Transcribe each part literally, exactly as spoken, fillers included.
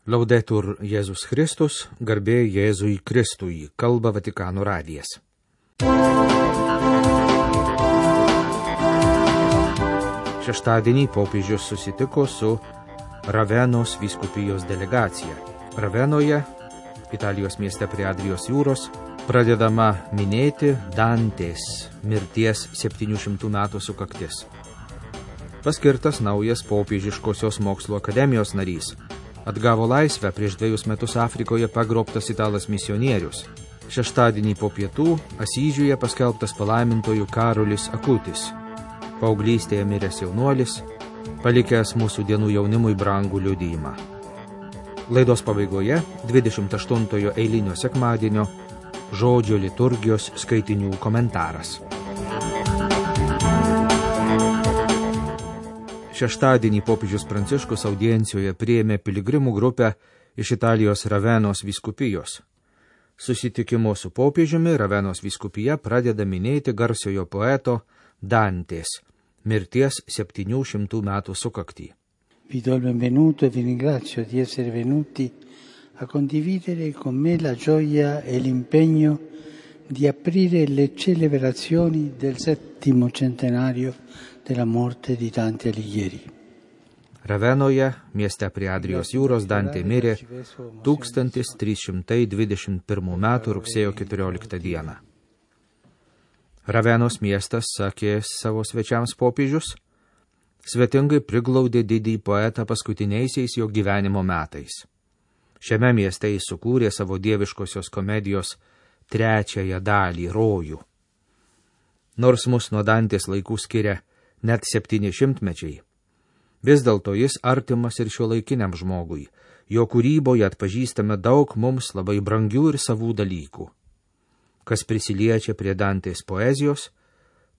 Laudetur Jėzus Kristus, garbė Jėzui Kristui, kalba Vatikano radijas. Šeštadienį popiežius susitiko su Ravenos vyskupijos delegacija. Ravenoje, Italijos mieste prie Adrijos jūros, pradedama minėti Dantės mirties septynių šimtų metų sukaktis. Paskirtas naujas popiežiškosios mokslo akademijos narys. Atgavo laisvę prieš dviejus metus Afrikoje pagrobtas italas misionierius. Šeštadienį po pietų Asyžiuje paskelbtas palaimintojų Karolis Akutis. Paauglystėje miręs jaunuolis, palikęs mūsų dienų jaunimui brangų liudijimą. Laidos pabaigoje dvidešimt aštuntojo eilinio sekmadienio žodžio liturgijos skaitinių komentaras. Šeštadienį popiežius Pranciškus audiencijoje priėmė piligrimų grupę iš Italijos Ravenos vyskupijos. Susitikimo su popiežiumi Ravenos vyskupija pradeda minėti garsiojo poeto Dantės mirties septynių šimtų metų sukaktį. Vi do il benvenuto e vi ringrazio di essere venuti a condividere con me la gioia e l'impegno di aprire le celebrazioni del settimo centenario della morte di Dante Alighieri. Ravenoje, mieste prie Adrijos jūros, Dantė mirė tūkstantis trys šimtai dvidešimt pirmų metų rugsėjo keturioliktą dieną. Ravenos miestas, sakė savo svečiams popiežius, svetingai priglaudė didįjį poetą paskutiniaisiais jo gyvenimo metais. Šiame mieste jis sukūrė savo dieviškosios komedijos trečiąją dalį Rojų. Nors mus nuo Dantės laikų skiria net septyni šimtmečiai, vis dėlto jis artimas ir šiuolaikiniam žmogui. Jo kūryboje atpažįstame daug mums labai brangių ir savų dalykų. Kas prisiliečia prie Dantės poezijos,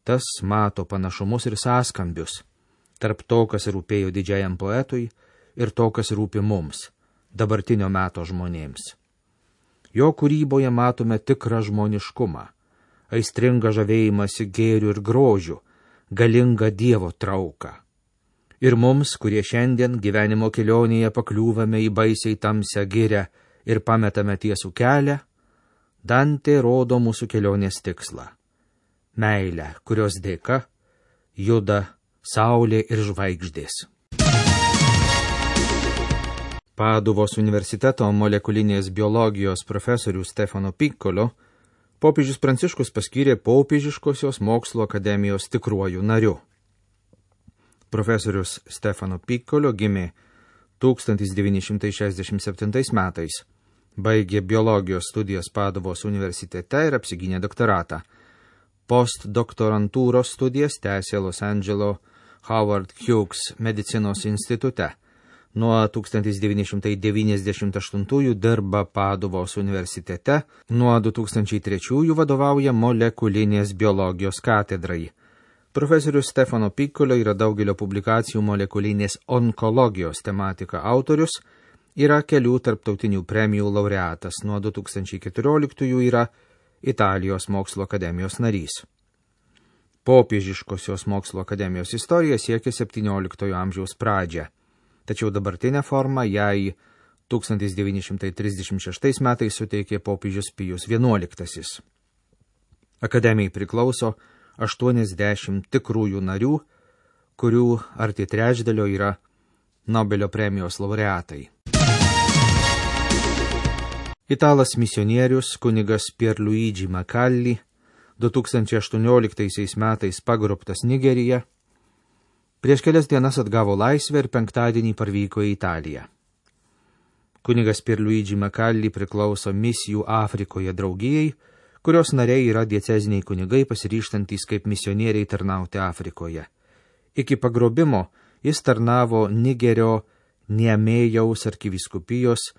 tas mato panašumus ir sąskambius tarp to, kas rūpėjo didžiajam poetui, ir to, kas rūpi mums, dabartinio meto žmonėms. Jo kūryboje matome tikrą žmoniškumą, aistringą žavėjimąsi gėriu ir grožiu, galingą Dievo trauką. Ir mums, kurie šiandien gyvenimo kelionėje pakliūvame į baisiai tamsią girią ir pametame tiesų kelią, Dantė rodo mūsų kelionės tikslą – meilę, kurios dėka juda saulė ir žvaigždės. Paduvos universiteto molekulinės biologijos profesorių Stefano Piccolo popiežius Pranciškus paskyrė popiežiškosios mokslo akademijos tikruoju nariu. Profesorius Stefano Piccolo gimė tūkstantis devyni šimtai šešiasdešimt septintais metais, baigė biologijos studijas Paduvos universitete ir apsigynė doktoratą. Postdoktorantūros studijas tęsė Los Andželo Howard Hughes medicinos institute. Nuo tūkstantis devyni šimtai devyniasdešimt aštuntųjų dirba Paduvos universitete, nuo du tūkstančiai trečiųjų vadovauja molekulinės biologijos katedrai. Profesorius Stefano Piccolo yra daugelio publikacijų molekulinės onkologijos tematika autorius, yra kelių tarptautinių premijų laureatas, nuo du tūkstančiai keturioliktųjų yra Italijos mokslo akademijos narys. Popiežiškosios mokslo akademijos istorija siekia septynioliktojo amžiaus pradžią. Tačiau dabartinę formą jai tūkstantis devyni šimtai trisdešimt šeštais metais suteikė popiežius Pijus vienuoliktasis. Akademijai priklauso aštuoniasdešimt tikrųjų narių, kurių arti trečdalio yra Nobelio premijos laureatai. Italas misionierius kunigas Pierluigi Macalli du tūkstančiai aštuonioliktaisiais metais pagrobtas Nigerija, prieš kelias dienas atgavo laisvę ir penktadienį parvyko į Italiją. Kunigas Pierluigi Macalli priklauso misijų Afrikoje draugijai, kurios nariai yra dieceziniai kunigai pasiryžtantys kaip misionieriai tarnauti Afrikoje. Iki pagrobimo jis tarnavo Nigerio Niamėjaus arkivyskupijos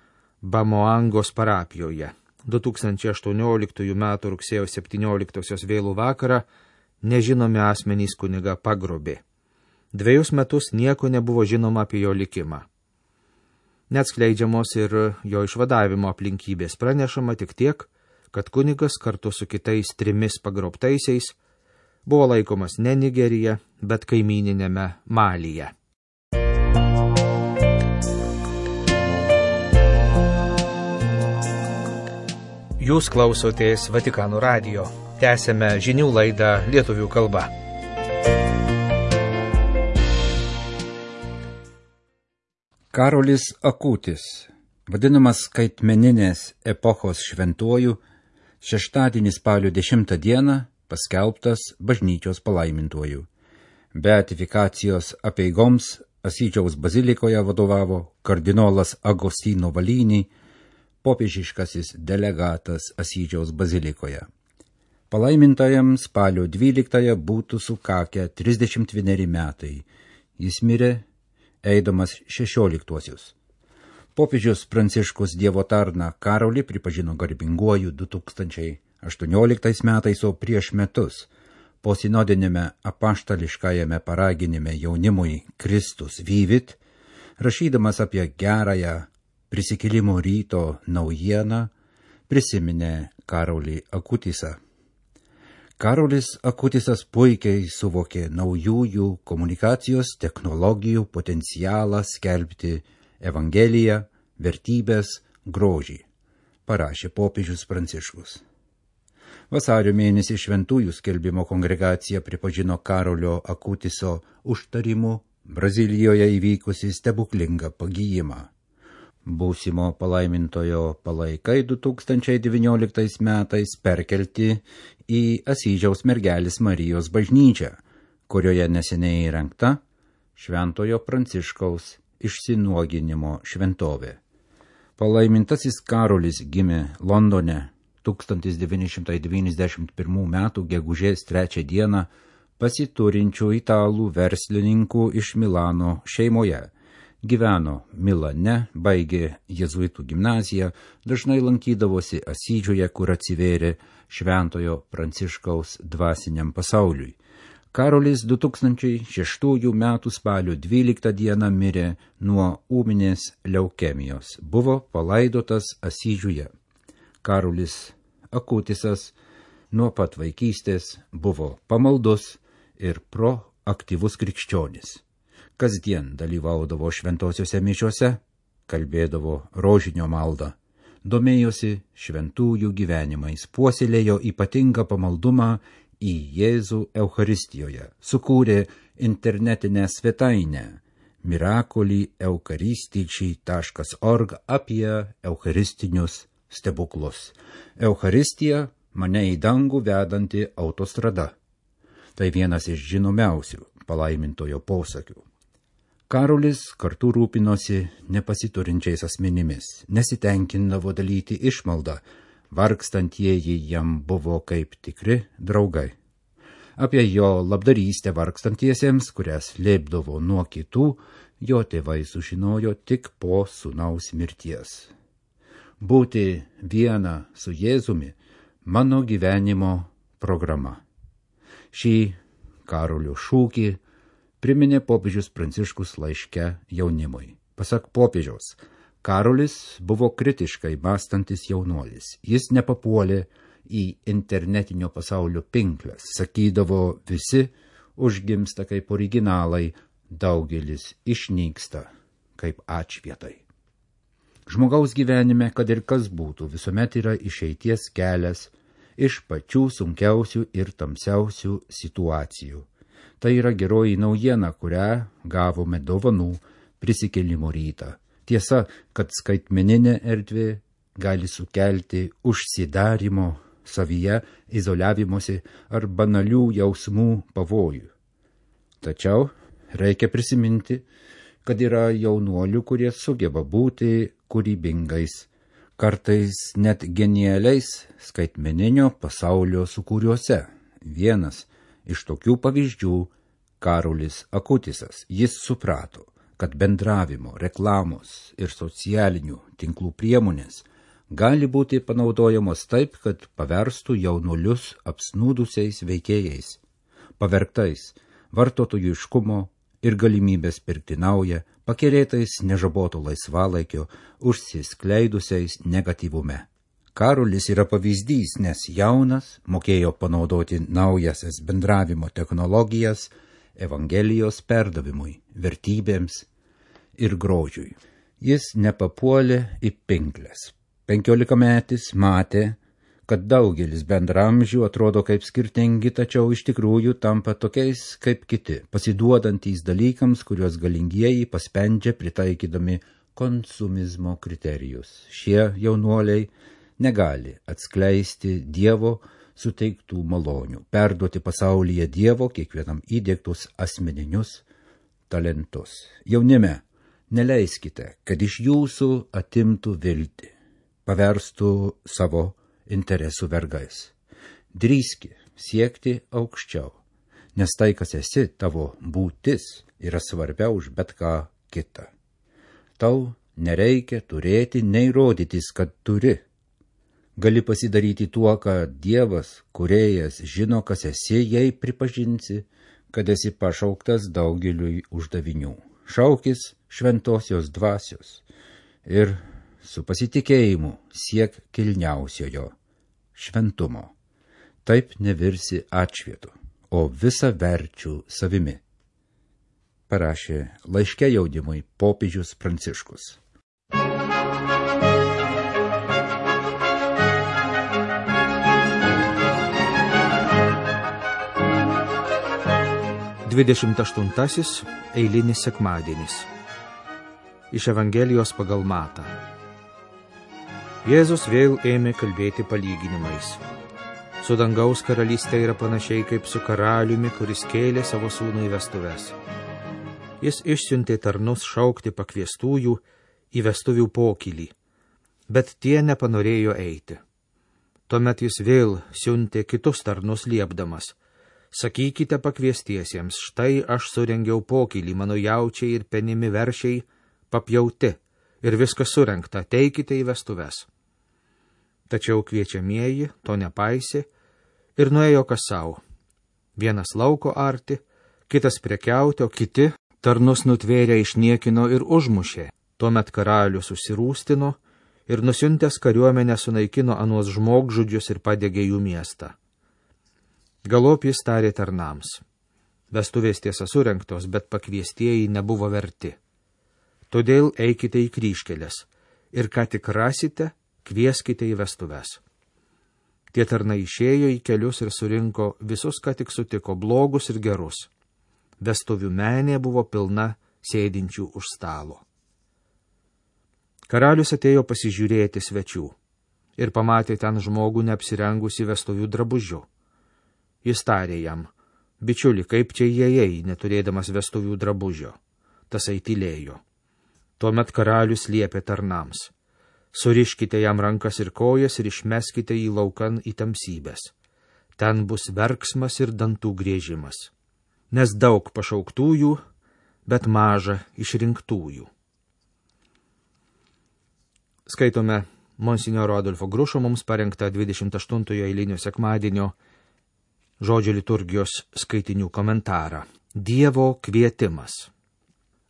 Bamoangos parapijoje. du tūkstančiai aštuonioliktųjų metų rugsėjo septynioliktosios vėlų vakarą nežinomi asmenys kunigą pagrobė. Dviejus metus nieko nebuvo žinoma apie jo likimą. Neatskleidžiamos ir jo išvadavimo aplinkybės, pranešama tik tiek, kad kunigas kartu su kitais trimis pagrobtaisiais buvo laikomas ne Nigerija, bet kaimyninėme Malyje. Jūs klausotės Vatikano radijo. Tęsėme žinių laidą lietuvių kalba. Karolis Akutis, vadinamas skaitmeninės epochos šventuoju, šeštadienį spalio dešimtą dieną paskelbtas bažnyčios palaimintuoju. Beatifikacijos apeigoms Asyžiaus bazilikoje vadovavo kardinolas Agostino Valynį, popiežiškasis delegatas Asyžiaus bazilikoje. Palaimintajam spalio dvyliktąją būtų sukakę trisdešimt vieneri metai. Jis mirė, eidamas šešioliktuosius. Popiežius Pranciškus Dievo tarną Karolį pripažino garbinguoju du tūkstančiai aštuonioliktais metais, o prieš metus po sinodinėme apaštališkajame paraginime jaunimui Kristus Vivit, rašydamas apie gerąją prisikėlimo ryto naujieną, prisiminė Karolį Akutisą. Karolis Akutisas puikiai suvokė naujųjų komunikacijos technologijų potencialą skelbti Evangeliją, vertybės, grožį, parašė popiežius Pranciškus. Vasario mėnesį šventųjų skelbimo kongregacija pripažino Karolio Akutiso užtarimu Brazilijoje įvykusi stebuklingą pagijimą. Būsimo palaimintojo palaikai du tūkstančiai devynioliktais metais perkelti į Asyžiaus mergelės Marijos bažnyčią, kurioje neseniai įrengta Šventojo Pranciškaus išsinuoginimo šventovė. Palaimintasis Karolis gimė Londone tūkstantis devyni šimtai devyniasdešimt pirmų metų gegužės trečią dieną pasiturinčių italų verslininkų iš Milano šeimoje. Gyveno Milane, baigė jėzuitų gimnaziją, dažnai lankydavosi Asyžiuje, kur atsivėrė Šventojo Pranciškaus dvasiniam pasauliui. Karolis du tūkstančiai šeštųjų metų spalio dvyliktą dieną mirė nuo ūminės leukemijos. Buvo palaidotas Asyžiuje. Karolis Akutisas nuo pat vaikystės buvo pamaldus ir proaktyvus krikščionis. Kasdien dalyvaudavo šventosiuose mišiuose, kalbėdavo rožinio maldą, domėjosi šventųjų gyvenimais, puoselėjo ypatingą pamaldumą į Jėzų Eucharistijoje, sukūrė internetinę svetainę Miracoli Eucharistici taškas org apie eucharistinius stebuklus. Eucharistija mane į dangų vedanti autostrada. Tai vienas iš žinomiausių palaimintojo posakių. Karolis kartu rūpinosi nepasiturinčiais asmenimis, nesitenkindavo dalyti išmaldą, vargstantieji jam buvo kaip tikri draugai. Apie jo labdarystę vargstantiesiems, kurias slėpdavo nuo kitų, jo tėvai sužinojo tik po sūnaus mirties. Būti viena su Jėzumi mano gyvenimo programa. Šį Karolio šūkį priminė popiežius Pranciškus laiške jaunimui. Pasak popiežiaus, Karolis buvo kritiškai mąstantis jaunuolis. Jis nepapuolė į internetinio pasaulio pinkles. Sakydavo, visi užgimsta kaip originalai, daugelis išnyksta kaip atšvietai. Žmogaus gyvenime, kad ir kas būtų, visuomet yra išeities kelias iš pačių sunkiausių ir tamsiausių situacijų. Tai yra geroji naujiena, kurią gavome dovanų prisikėlimo rytą. Tiesa, kad skaitmeninė erdvė gali sukelti užsidarimo savyje, izoliavimosi ar banalių jausmų pavojų. Tačiau reikia prisiminti, kad yra jaunuolių, kurie sugeba būti kūrybingais, kartais net genialiais skaitmeninio pasaulio sukūriuose. Vienas iš tokių pavyzdžių Karolis Akutisas. Jis suprato, kad bendravimo, reklamos ir socialinių tinklų priemonės gali būti panaudojamos taip, kad paverstų jaunuolius apsnūdusiais veikėjais, pavergtais vartotojiškumo ir galimybės pirkti naują, pakerėtais nežaboto laisvalaikio, užsiskleidusiais negatyvume. Karolis yra pavyzdys, nes jaunas mokėjo panaudoti naujasias bendravimo technologijas Evangelijos perdavimui, vertybėms ir grožiui. Jis nepapuolė į pinkles. Penkiolikametis matė, kad daugelis bendramžių atrodo kaip skirtingi, tačiau iš tikrųjų tampa tokiais kaip kiti, pasiduodantys dalykams, kuriuos galingieji paspendžia pritaikydami konsumizmo kriterijus. Šie jaunuoliai negali atskleisti Dievo suteiktų malonių, perduoti pasaulyje Dievo kiekvienam įdiegtus asmeninius talentus. Jaunime, neleiskite, kad iš jūsų atimtų viltį, paverstų savo interesų vergais. Drįski siekti aukščiau, nes tai, kas esi, tavo būtis, yra svarbiau už bet ką kitą. Tau nereikia turėti, nei rodytis, kad turi. Gali pasidaryti tuo, kad Dievas, kūrėjas, žino, kas esi, jei pripažinsi, kad esi pašauktas daugeliui uždavinių. Šaukis šventosios dvasios ir su pasitikėjimu siek kilniausiojo šventumo. Taip nevirsi atšvietu, o visa verčių savimi. Parašė laiške jaunimui popiežius Pranciškus. Dvidešimt aštuntasis eilinis sekmadienis. Iš Evangelijos pagal Matą. Jėzus vėl ėmė kalbėti palyginimais. Su dangaus karalystė yra panašiai kaip su karaliumi, kuris kėlė savo sūnų į vestuves. Jis išsiuntė tarnus šaukti pakviestųjų į vestuvių pokylį, bet tie nepanorėjo eiti. Tuomet jis vėl siuntė kitus tarnus liepdamas: sakykite pakviestiesiems, štai aš surengiau pokylį, mano jaučiai ir penimi veršiai papjauti, ir viskas surengta, teikite į vestuves. Tačiau kviečiamieji to nepaisė ir nuėjo kas savo. Vienas lauko arti, kitas prekiauti, o kiti tarnus nutvėrę išniekino ir užmušė. Tuomet karalius susirūstino ir nusiuntęs kariuomenę sunaikino anuos žmogžudžius ir padegė jų miestą. Galop jis tarė tarnams: vestuvės tiesa surengtos, bet pakviestieji nebuvo verti. Todėl eikite į kryžkeles ir ką tik rasite, kvieskite į vestuves. Tie tarnai išėjo į kelius ir surinko visus, ką tik sutiko, blogus ir gerus. Vestuvių menė buvo pilna sėdinčių už stalo. Karalius atėjo pasižiūrėti svečių ir pamatė ten žmogų neapsirengusi vestuvių drabužiu. Jis tarė jam: bičiuli, kaip čia įėjai, neturėdamas vestuvių drabužio? Tasai tylėjo. Tuomet karalius liepė tarnams: suriškite jam rankas ir kojas ir išmeskite jį laukan į tamsybes. Ten bus verksmas ir dantų griežimas. Nes daug pašauktųjų, bet maža išrinktųjų. Skaitome monsinjoro Adolfo Grušo mums parengtą dvidešimt aštuntojo eilinio sekmadienio žodžio liturgijos skaitinių komentarą. Dievo kvietimas.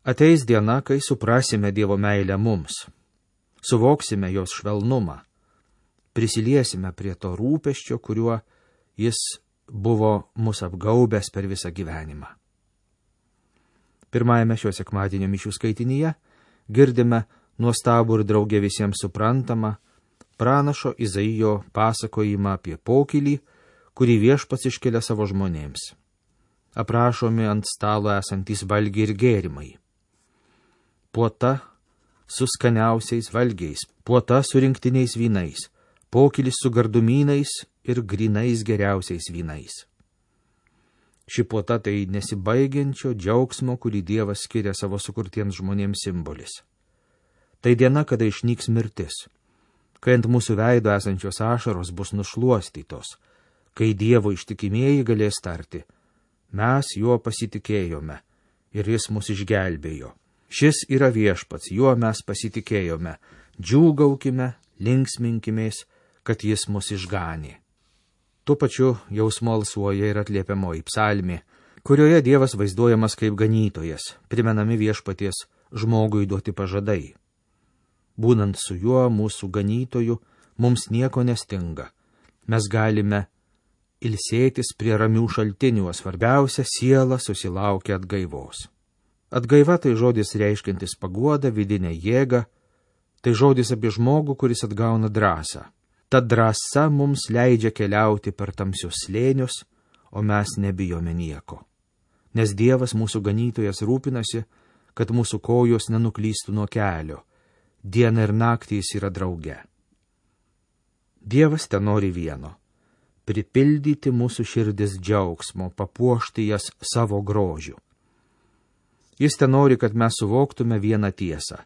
Ateis diena, kai suprasime Dievo meilę mums, suvoksime jos švelnumą, prisiliesime prie to rūpesčio, kuriuo jis buvo mus apgaubęs per visą gyvenimą. Pirmajame šio sekmadienio mišių skaitinyje girdime nuostabų ir draugė visiems suprantamą pranašo Izaijo pasakojimą apie pokylį, kurį viešpats iškelia savo žmonėms. Aprašomi ant stalo esantys valgiai ir gėrimai. Puota su skaniausiais valgiais, puota su rinktiniais vynais, pokylis su gardumynais ir grinais geriausiais vynais. Ši puota tai nesibaigiančio džiaugsmo, kurį Dievas skiria savo sukurtiems žmonėms simbolis. Tai diena, kada išnyks mirtis, kai ant mūsų veido esančios ašaros bus nušluostytos, kai Dievo ištikimieji galės tarti: mes juo pasitikėjome ir jis mus išgelbėjo. Šis yra viešpats, juo mes pasitikėjome, džiūgaukime, linksminkimės, kad jis mus išganė. Tuo pačiu jausmo alsuoja ir atliepiamoji psalmė, kurioje Dievas vaizduojamas kaip ganytojas, primenami viešpaties žmogui duoti pažadai. Būnant su juo, mūsų ganytoju, mums nieko nestinga. Mes galime ilsėtis prie ramių šaltinių, o svarbiausia, siela susilaukia atgaivos. Atgaiva tai žodis reiškiantis paguodą, vidinę jėgą, tai žodis apie žmogų, kuris atgauna drąsą. Ta drąsa mums leidžia keliauti per tamsius slėnius, o mes nebijome nieko. Nes Dievas mūsų ganytojas rūpinasi, kad mūsų kojos nenuklystų nuo kelio. Dieną ir naktį jis yra drauge. Dievas ten nori vieno – pripildyti mūsų širdis džiaugsmo, papuošti jas savo grožiu. Jis ten nori, kad mes suvoktume vieną tiesą.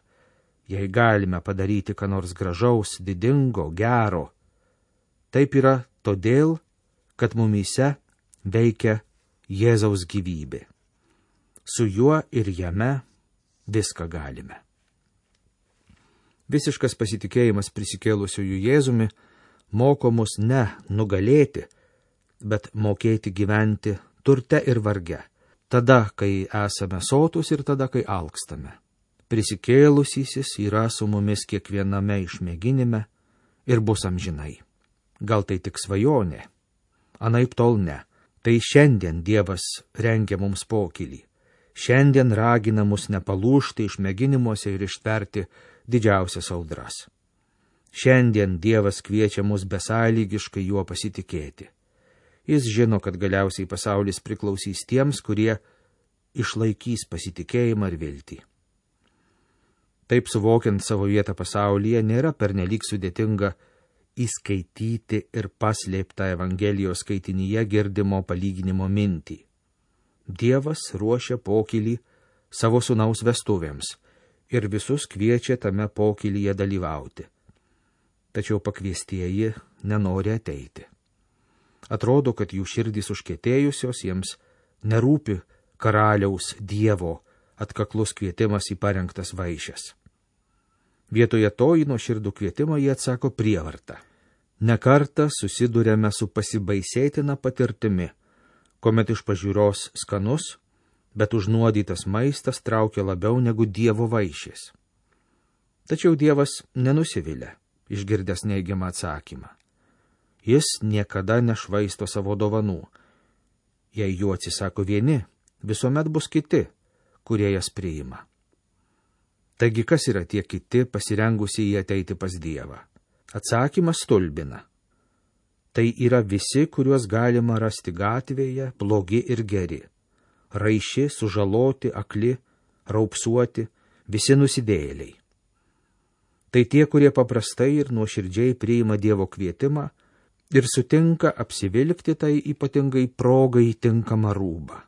Jei galime padaryti ką nors gražaus, didingo, gero, taip yra todėl, kad mumyse veikia Jėzaus gyvybė. Su juo ir jame viską galime. Visiškas pasitikėjimas prisikėlusiųjų Jėzumi moko mus ne nugalėti, bet mokėti gyventi turte ir varge, tada, kai esame sotūs ir tada, kai alkstame. Prisikėlusysis yra su mumis kiekviename išmėginime ir bus amžinai. Gal tai tik svajonė? Anaip tol ne. Tai šiandien Dievas rengia mums pokylį. Šiandien ragina mus nepalūžti išmėginimuose ir ištverti didžiausias audras. Šiandien Dievas kviečia mus besąlygiškai juo pasitikėti. Jis žino, kad galiausiai pasaulis priklausys tiems, kurie išlaikys pasitikėjimą ir viltį. Taip suvokiant savo vietą pasaulyje, nėra pernelyg sudėtinga įskaityti ir paslėptą Evangelijos skaitinyje girdimo palyginimo mintį. Dievas ruošia pokylį savo sūnaus vestuvėms ir visus kviečia tame pokylyje dalyvauti. Tačiau pakviestieji nenori ateiti. Atrodo, kad jų širdys užkietėjusios, jiems nerūpi karaliaus Dievo atkaklus kvietimas į parengtas vaišes. Vietoje to į nuoširdų kvietimą jie atsako prievarta. Nekartą susidurėme su pasibaisėtina patirtimi, kuomet iš pažiūros skanus, bet užnuodytas maistas traukia labiau negu Dievo vaišės. Tačiau Dievas nenusivilia, išgirdęs neigiamą atsakymą. Jis niekada nešvaisto savo dovanų. Jei jų atsisako vieni, visuomet bus kiti, kurie jas priima. Taigi kas yra tie kiti pasirengusiai ateiti pas Dievą? Atsakymas stulbina. Tai yra visi, kuriuos galima rasti gatvėje, blogi ir geri. Raiši, sužaloti, akli, raupsuoti, visi nusidėjėliai. Tai tie, kurie paprastai ir nuoširdžiai priima Dievo kvietimą ir sutinka apsivilkti tai ypatingai progai tinkamą rūbą.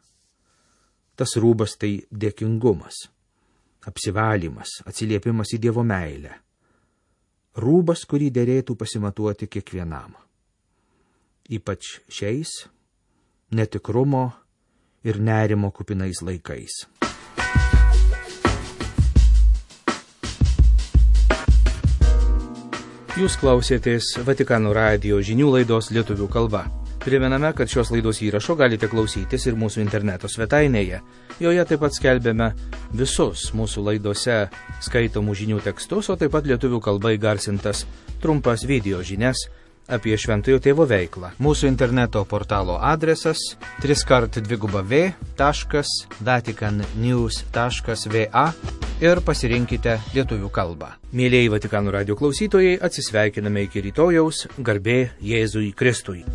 Tas rūbas tai dėkingumas, apsivalymas, atsiliepimas į Dievo meilę. Rūbas, kurį derėtų pasimatuoti kiekvienam. Ypač šiais netikrumo ir nerimo kupinais laikais. Jūs klausėtės Vatikano radijo žinių laidos lietuvių kalba. Primename, kad šios laidos įrašo galite klausytis ir mūsų interneto svetainėje. Joje taip pat skelbėme visus mūsų laidose skaitomų žinių tekstus, o taip pat lietuvių kalba įgarsintas trumpas video žinias apie Šventojo Tėvo veiklą. Mūsų interneto portalo adresas tris kart dviguba v taškas vatikan news taškas va ir pasirinkite lietuvių kalbą. Mėlieji Vatikano radijo klausytojai, atsisveikiname iki rytojaus, garbė Jėzui Kristui.